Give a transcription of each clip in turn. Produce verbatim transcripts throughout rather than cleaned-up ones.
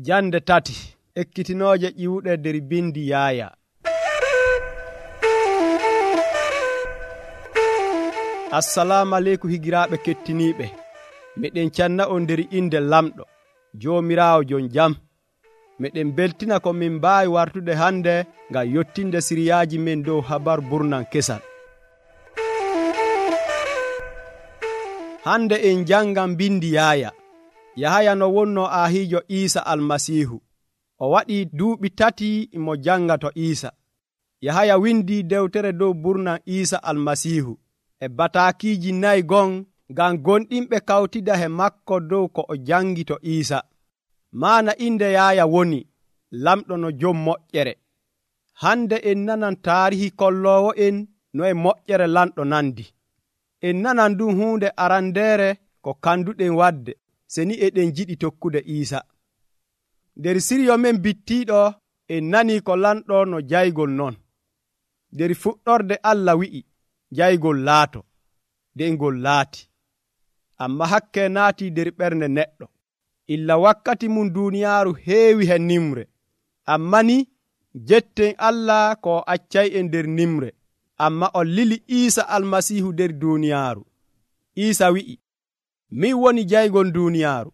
Jande tati ekkitinooje ƴiwuɗe nder bindi Yaaya. Assalamu aleykum higiraaɓe kettiniiɓe. Meɗen canna on nder inde lamɗo Joomiraawo jon jam. Meɗen beltina ko min mbaawi wartude hande ngam yottinde siriyaaji men dow habar burnan kesal. Hande en jangan bindi Yaaya. Yahaya no wonno aahiijo Iisa almasiihu. O waɗi duuɓi tati mo jangato Iisa. Yahaya windi dewtere dow burnan Iisa almasiihu e bataakiiji nayi gon ngam gonɗinɓe kawtida he makko dow ko o jangi to Iisa. Maana inde Yaaya woni lamɗo no jom moƴƴere. Hande en nanan taarihi kolloowo en no e moƴƴere lamɗo nandi. En nanan ɗum huunde arandeere ko kanduɗen wadde seni eɗen jiɗi tokkude Iisa. Nder siryo men bittiiɗo en nani ko lamɗo no jaygol non. Nder fuɗɗorde Allah wi'i jaygol laato, nden ngol laati. Amma hakke naati nder ɓernde neɗɗo. Illa wakkati mum duuniyaaru heewi he nimre. Amma ni jetten Allah ko accay'en nder nimre. Amma o lili Iisa almasiihu nder duuniyaaru. Iisa wi'i, min woni jaygol duuniyaaru.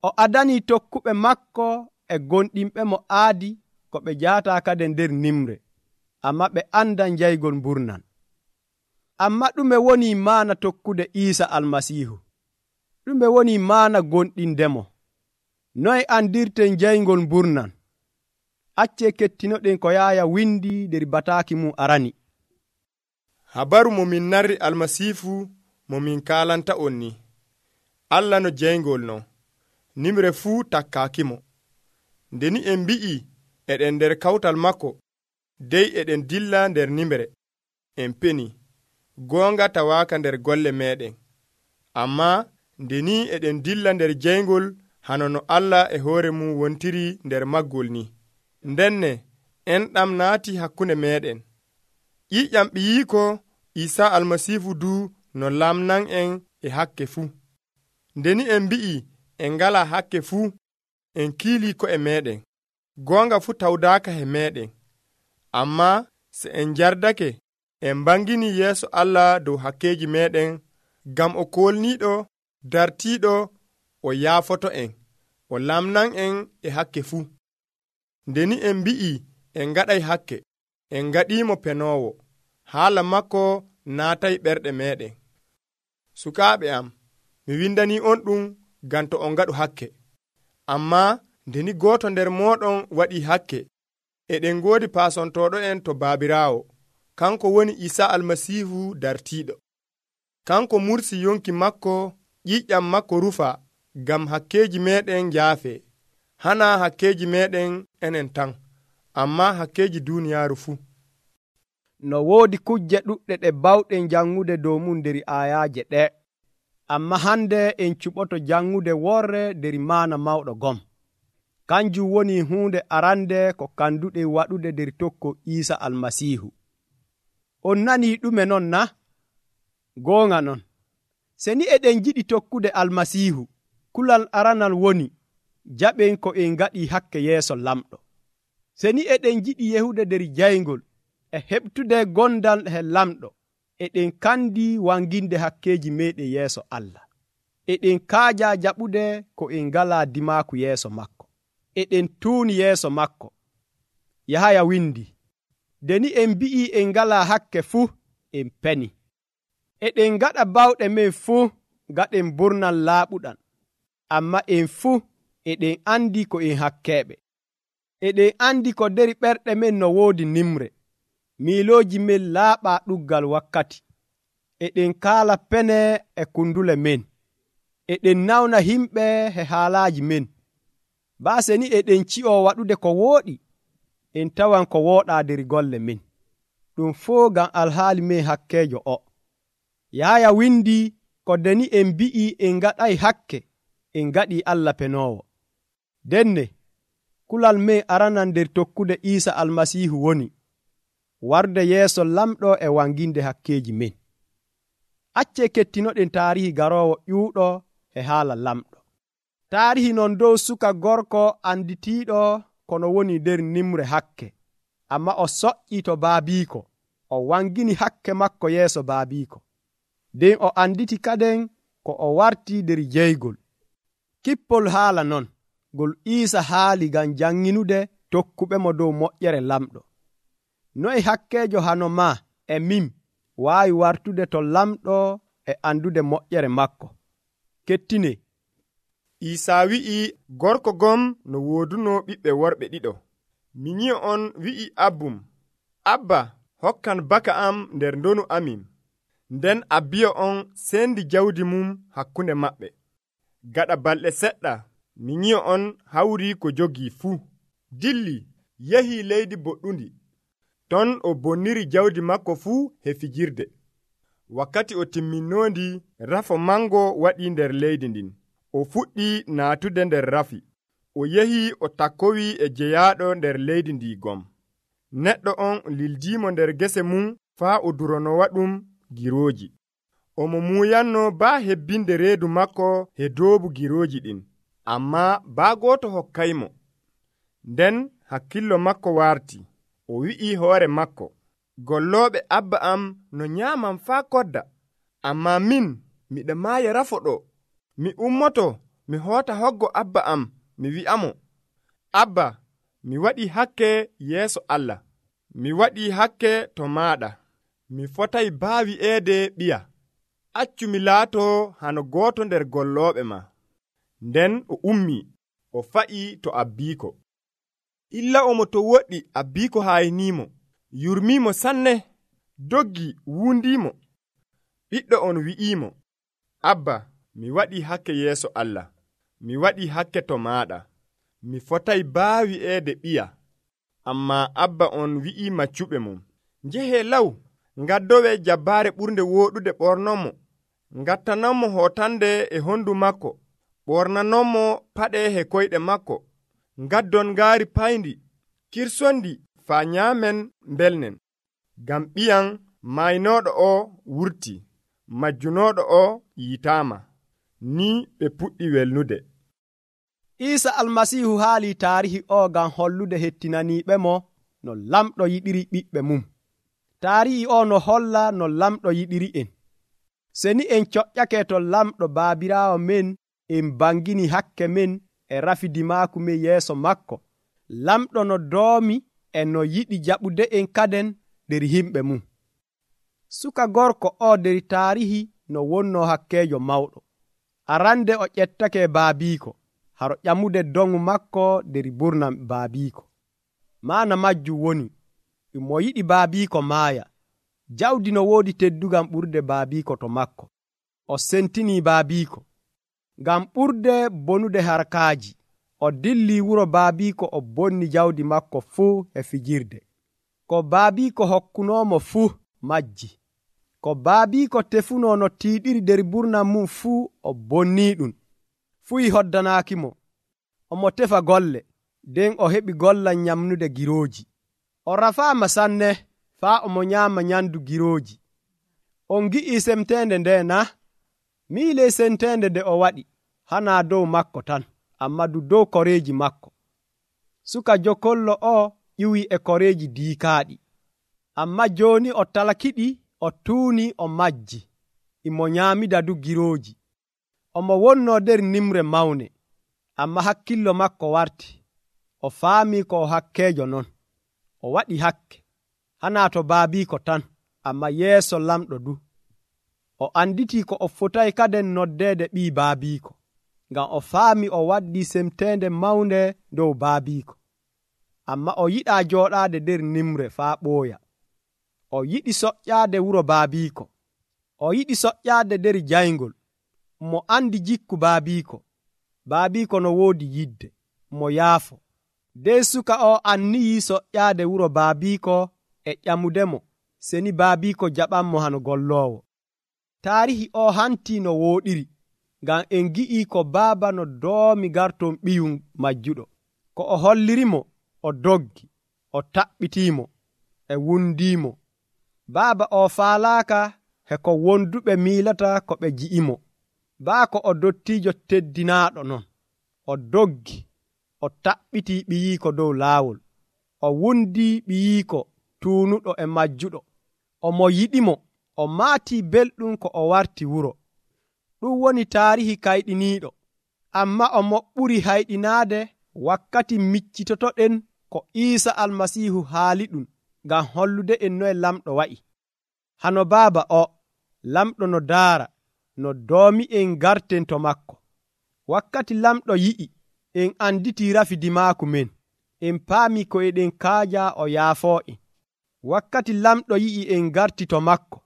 O adanii tokkuɓe makko e gonɗinɓe mo aadi ko ɓe jaataa kade nder nimre. Amma ɓe andan jaygol burnan. Amma ɗume woni maana tokkude Iisa almasiihu? Ɗume woni maana gonɗindemo? Noye andirten jaygol burnan? Accee kettinoɗen ko Yaaya windi nder bataaki mum arani. Habaru mo min narri almasiifu mo min kaalanta on ni. Allah no jaygol no. Nimre fuu takkaakimo. Ndeni en mbi'i eɗen nder kawtal makko, dey eɗen dilla nder nimre. En peni, goonga tawaaka nder golle meɗen. Amma ndeni eɗen dilla nder jaygol hano no Allah e hoore mum wontiri nder maggol ni. Ndenne en ɗam naati hakkunde meɗen. ƴiƴam ɓiyiiko Iisa almasiifu du no lamnan en e hakke fuu. Ndeni en mbi'i en ngala hakke fuu, en kiili ko e meɗen. Goonga fuu tawdaaka he meɗen. Amma se en jardake, en bangini yeeso Allah dow hakkeji meɗen, ngam o kolniiɗo dartiiɗo o yaafoto en, o lamnan en e hakke fuu. Ndeni en mbi'i en ngaɗay hakke, en ngaɗiimo penoowo. Haala makko naatay ɓerɗe meɗen. Sukaaɓe am, mi windanii on ɗum ngam to on ngaɗu hakke. Amma ndeni gooto nder mooɗon waɗii hakke, eɗen ngoodi paasontooɗo en to Baabiraawo, kanko woni Iisa almasiihu dartiiɗo. Kanko mursi yonki makko, ƴiƴƴam makko rufa, ngam hakkeeji meɗen njaafee. Hana hakkeeji meɗen enen tan, amma hakkeeji duuniyaaru fuu. No woodi kujje ɗuɗɗe ɗe bawɗen jangude dow mum nder aayaaje ɗe. Amma hande en cuɓoto jangude worre nder maana mawɗo gom. Kanjum woni huunde arande ko kanduɗen waɗude nder tokko Iisa almasiihu. On nanii ɗume non na? Goonga non. Seni eɗen jiɗi tokkude almasiihu, kulal aranal woni jaɓen ko en ngaɗi hakke yeeso lamɗo. Seni eɗen jiɗi yehude nder jaygol e heɓtude gondal he lamɗo, eɗen kandi wanginde hakkeji meɗen yeeso Allah. Eɗen kaaja jaɓude ko en ngala dimaaku yeeso makko. Eɗen tuuni yeeso makko. Yahaya windi, ndeni en mbi'i en ngala hakke fuu, en peni. Eɗen ngaɗa bawɗe men fuu ngaɗen burnan laaɓuɗan. Amma en fuu eɗen andi ko en hakkeɓe. Eɗen andi ko nder ɓerɗe men no woodi nimre. Miilooji men laaɓa ɗuggal wakkati. Eɗen kaala pene e kundule men. Eɗen nawna himɓe he haalaaji men. Baase ni eɗen ci'o waɗude ko wooɗi, en tawan ko wooɗaa nder golle men. Ɗum fuu ngam alhaali men hakkeejo o. Yaaya windi ko deni en mbi'i en ngaɗay hakke, en ngaɗi Allah penoowo. Denne, kulal men aranan nder tokkude Iisa almasiihu woni warde yeeso lamɗo e wanginde hakkeeji men. Accee kettinoɗen taarihi garoowo ƴuuɗo e haala lamɗo. taarihi non dow suka gorko anditiiɗo kono woni nder nimre hakke, amma o soƴƴi to baabiiko, o wangini hakke makko yeeso baabiiko. nden o anditi kaden ko o warti nder jeygol. Kippol haala non ngol Iisa haali ngam janŋinude tokkuɓe mo dow moƴƴere lamɗo. Noye hakkeejo hano ma e min waawi wartude to lamɗo e andude moƴƴere makko? Kettine. Iisaa wi'i gorko gom no wooduno ɓiɓɓe worɓe ɗiɗo. Mi nyi'o on wi'i abbum, Abba, hokkan baka am nder ndonu amin. Nden abbiyo on sendi jawdi mum hakkunde maɓɓe. Gaɗa balɗe seɗɗa, mi nyi'o on hawri ko jogii fuu. Dilli, yahi leydi boɗɗundi. Ton o bonniri jawdi makko fuu he fijirde. Wakkati o timminoondi, rafo mango waɗi nder leydi ndin. O fuɗɗi naatude nder rafi. O yehi o takkowi e jeyaaɗo nder leydi ndi gom. Neɗɗo on lildiimo nder gese mum faa o duronowa ɗum girooji. Omo muuyanno baa hebbinde reedu makko he doobu girooji ɗin, ammaa baa gooto hokkaymo. Nden hakkillo makko waarti. O wi'i hoore makko, gollooɓe abba am no nyaaman faa kodda, ammaa min miɗa maaya rafo ɗo. Mi ummoto mi hoota hoggo abba am mi wi'amo, Abba, mi waɗii hakke yeeso Allah. Mi waɗii hakke to maaɗa. Mi fotay baa wi'eede ɓiya. Accu mi laatoo hano gooto nder gollooɓe ma. Nden o ummii, o fa'ii to abbiiko. Illa omo to woɗɗi abbiiko haayniimo, yurmiimo sanne, doggi wuundiimo. Ɓiɗɗo on wi'iimo, Abba, mi waɗii hakke yeeso Allah. Mi waɗii hakke to maaɗa. Mi fotay baa wi'eede ɓiya. Ammaa abba on wi'ii maccuɓe mum, njehee law, ngaddowe jabbaare ɓurnde wooɗude ɓornonmo, ngattanonmo hootande e honndu makko, ɓornanonmo paɗe he koyɗe makko, ngaddon ngaari payndi, kirsondi faa nyaamen mbelnen. Ngam ɓiyan maynooɗo o wurti, majjunooɗo o yiitaama. Ni ɓe puɗɗi welnude. Iisa almasiihu haali taarihi o ngam hollude hettinaniiɓe mo no lamɗo yiɗiri ɓiɓɓe mum. Taarihi o no holla no lamɗo yiɗiri en. Seni en coƴƴake to lamɗo baabiraawo men, en bangini hakke men e rafidimaaku men yeeso makko. Lamɗo no doomi e no yiɗi jaɓude en kaden nder himɓe mum. Suka gorko o nder taarihi no wonno hakkeejo mawɗo. Arande o ƴettake baabiiko, haro ƴamude dongu makko nder burnam baabiiko. Maana majjum woni, mo yiɗi baabiiko maaya. Jawdi no woodi teddugam ɓurde baabiiko to makko. O sentini baabiiko. Ngam ɓurde bonude harkaaji, o dilli wuro baabiiko o bonni jawdi makko fuu e fijirde. Ko baabiiko hokkunoomo fuu majji. Ko baabiiko tefuno no tiiɗiri nder burnam mum fuu o bonnii ɗum. Fuyi hoddanaakimo. Omo tefa golle, nden o heɓi gollal nyamnude girooji. O rafaama sanne faa omo nyaama nyamdu girooji. On gi'ii semteende nde na? Miile semteende nde o waɗi hanaa dow makko tan, amma du dow koreeji makko. Suka jokollo o ƴiwi e koreeji diikaaɗi, amma jooni o talakiɗi, o tuuni, o majji, imo nyaamida du girooji. Omo wonno nder nimre mawne, amma hakkillo makko warti. O faami ko o hakkeejo non. O waɗi hakke, hanaa to baabiiko tan, amma yeeso lamɗo du. O anditi ko o fotay kaden noddeede ɓii baabiiko, ngam o faami o waddi semteende mawnde dow baabiiko. Amma o yiɗaa jooɗaade nder nimre faa ɓooya. O yiɗi soƴƴaade wuro baabiiko. O yiɗi soƴƴaade nder jayngol. Mo andi jikku baabiiko. Baabiiko no woodi yidde, mo yaafo. Nden suka o anniyi soƴƴaade wuro baabiiko e ƴamudemo, seni baabiiko jaɓanmo hano golloowo. Taarihi o hanti no wooɗiri, ngam en gi'ii ko baaba no doomi garton ɓiyum majjuɗo. Ko o hollirimo, o doggi, o taɓɓitiimo, e wundiimo. Baaba o faalaaka he ko wonduɓe miilata ko ɓe ji'imo. Baa ko o dottiijo teddinaaɗo non. o doggi o taɓɓiti ɓiyiiko dow laawol, o wundi ɓiyiiko tuunuɗo e majjuɗo, o mo yiɗimo, o maatii belɗum ko o warti wuro. Ɗum woni taarihi kayɗiniiɗo, amma o mo ɓuri hayɗinaade wakkati miccitotoɗen ko Iisa Almasiihu haali ɗum ngam hollude en noye lamɗo wa'i. Hano baaba o, lamɗo no daara, no doomi en garten to makko. Wakkati lamɗo yi'i, en anditi rafidimaaku men, en paami ko eɗen kaaja o yaafoo en. Wakkati lamɗo yi'i en garti to makko,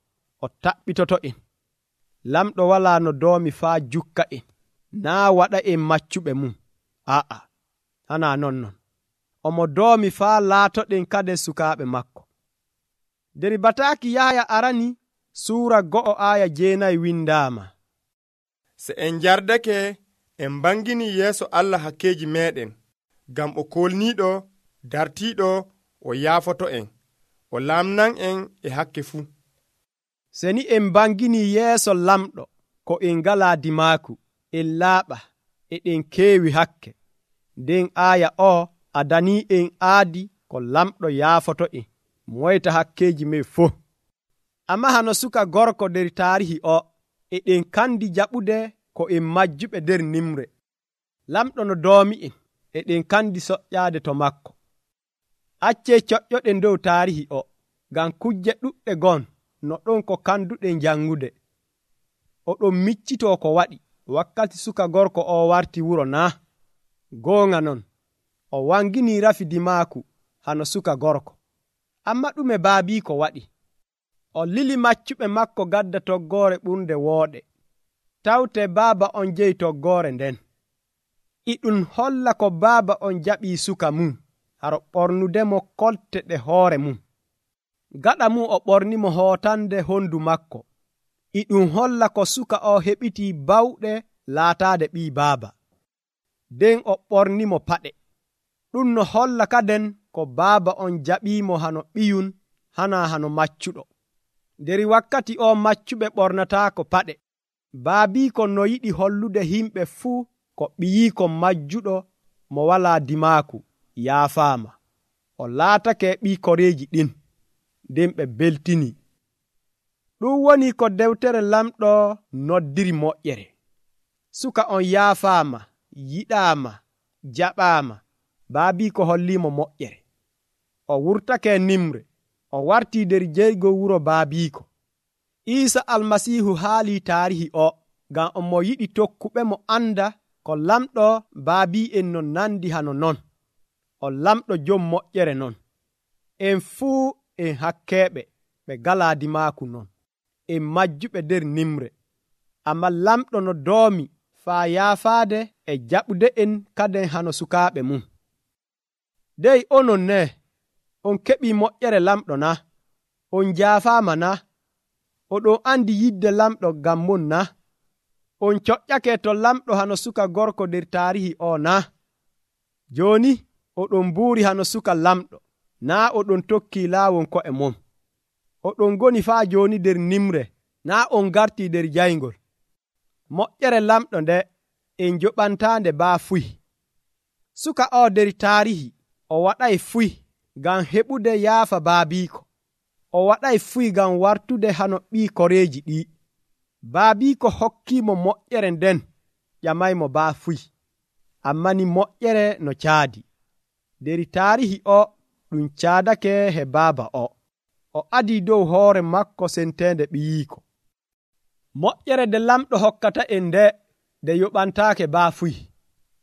o taɓɓitoto en. Lamɗo walaa no doomi faa jukka en, naa waɗa en maccuɓe mum. Aa, hanaa non non. Omo doomi faa laatoɗen kade sukaaɓe makko. Der bataaki Yahaya arani suura go'o aaya jeenayi windaama. Se en jardake en bangini yeeso Allah hakkeeji meɗen, ngam o kolniiɗo dartiiɗo o yaafoto en, o lamnan en e hakke fuu. Seni en bangini yeeso lamɗo ko en ngalaa dimaaku, en laaɓa, eɗen keewi hakke. Nden aaya o adanii en aadi ko lamɗo yaafoto en, moyta hakkeeji men fof. Amma hano suka gorko der taarihi o, eɗen kandi jaɓude ko en majjuɓe der nimre. Lamɗo no doomi en, eɗen kandi soƴƴaade to makko. Accee coƴƴoɗen dow taarihi o, ngam kujje ɗuɗɗe gon no ɗon ko kanduɗen jangude. Oɗon miccitoo ko waɗi wakkati suka gorko o warti wuro naa? Goonga non, o wangini rafidimaaku hano suka gorko. Amma ɗume baabiiko waɗi? O lili maccuɓe makko gadda toggoore ɓurnde wooɗe. Tawte baaba on jeyi toggoore nden. Iɗum holla ko baaba on jaɓii suka mum, haro ɓornudemo kolte ɗe hoore mum. Gaɗa mum o ɓornimo hootande hondu makko. Iɗum holla ko suka o heɓitii bawɗe laataade ɓii baaba. Nden o ɓornimo paɗe. Ɗum no holla kaden ko baaba on jaɓiimo hano ɓiyun, hanaa hano maccuɗo. Der wakkati o maccuɓe ɓornataako paɗe. Baabiiko no yiɗi hollude himɓe fuu ko ɓiyiiko majjuɗo mo walaa dimaaku yaafaama. O laatake ɓii koreeji ɗin, nden ɓe beltini. Ɗum woni ko dewtere lamɗo noddiri moƴƴere. Suka on yaafaama, yiɗaama, jaɓaama. Baabiiko holliimo moƴƴere. O wurtake nimre, o wartii der jeygo wuro baabiiko. Iisa Almasiihu haalii taarihi o, ngam omo yiɗi tokkuɓe mo anda ko lamɗo baabi'en no nandi hano non. O lamɗo jom moƴƴere non. En fuu en hakkeeɓe ɓe galaa dimaaku non. En majjuɓe der nimre. Amma lamɗo no doomi faa yaafaade e jaɓude en kaden hano sukaaɓe mum. Dey onon ne, on keɓii moƴƴere lamɗo na? On jaafaama na? Oɗon andi yidde lamɗo ngam mon na? On coƴƴake to lamɗo hano suka gorko der taarihi o na? Jooni oɗon mbuuri hano suka lamɗo, naa oɗon tokkii laawol ko'e mon. Oɗon ngoni faa jooni der nimre, naa on gartii der jayngol. Moƴƴere lamɗo nde en joɓantaande baa fuy. Suka o der taarihi o waɗay fuy ngam heɓude yaafa baabiiko. O waɗay fuy ngam wartude hano ɓii koreeji ɗi. Baabiiko hokkiimo moƴƴere nden ƴamaymo baa fuy. Amma ni moƴƴere no caadi. Der taarihi o ɗum caadake he baaba o. O adii dow hoore makko senteende ɓiyiiko. Moƴƴere de lamɗo hokkata en nde de yoɓantaake baa fuy.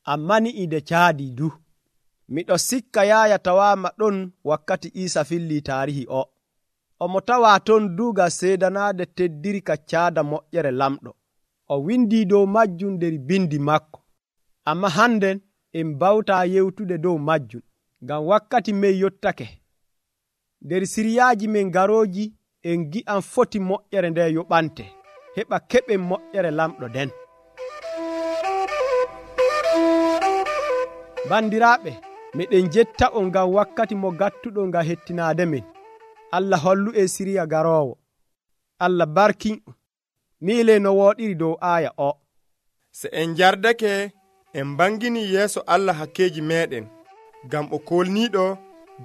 Amma ni ide caadi du. Miɗo sikka Yaaya tawaama ɗon wakkati Iisa fillii taarihi o. Omo tawaa ton duuga seedanaade teddiri ka caada moƴƴere lamɗo. O windii dow majjum der bindi makko. Amma hannden en bawtaa yewtude dow majjum, ngam wakkati men yottake. Der siriyaaji men garooji en gi'an foti moƴƴere nde yoɓante, heɓa keɓen moƴƴere lamɗo den. Bandiraaɓe, miɗen jetta on ngam wakkati mo gattuɗo ngam hettinaade men. Allah hollu e siriya garoowo. Allah barkin miile no wooɗiri dow aaya o. Se en jardake en bangini yeeso Allah hakkeji meɗen ngam o kolniɗo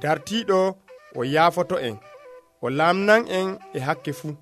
dartiɗo o yaafoto en o lamnan en e hakke fuu.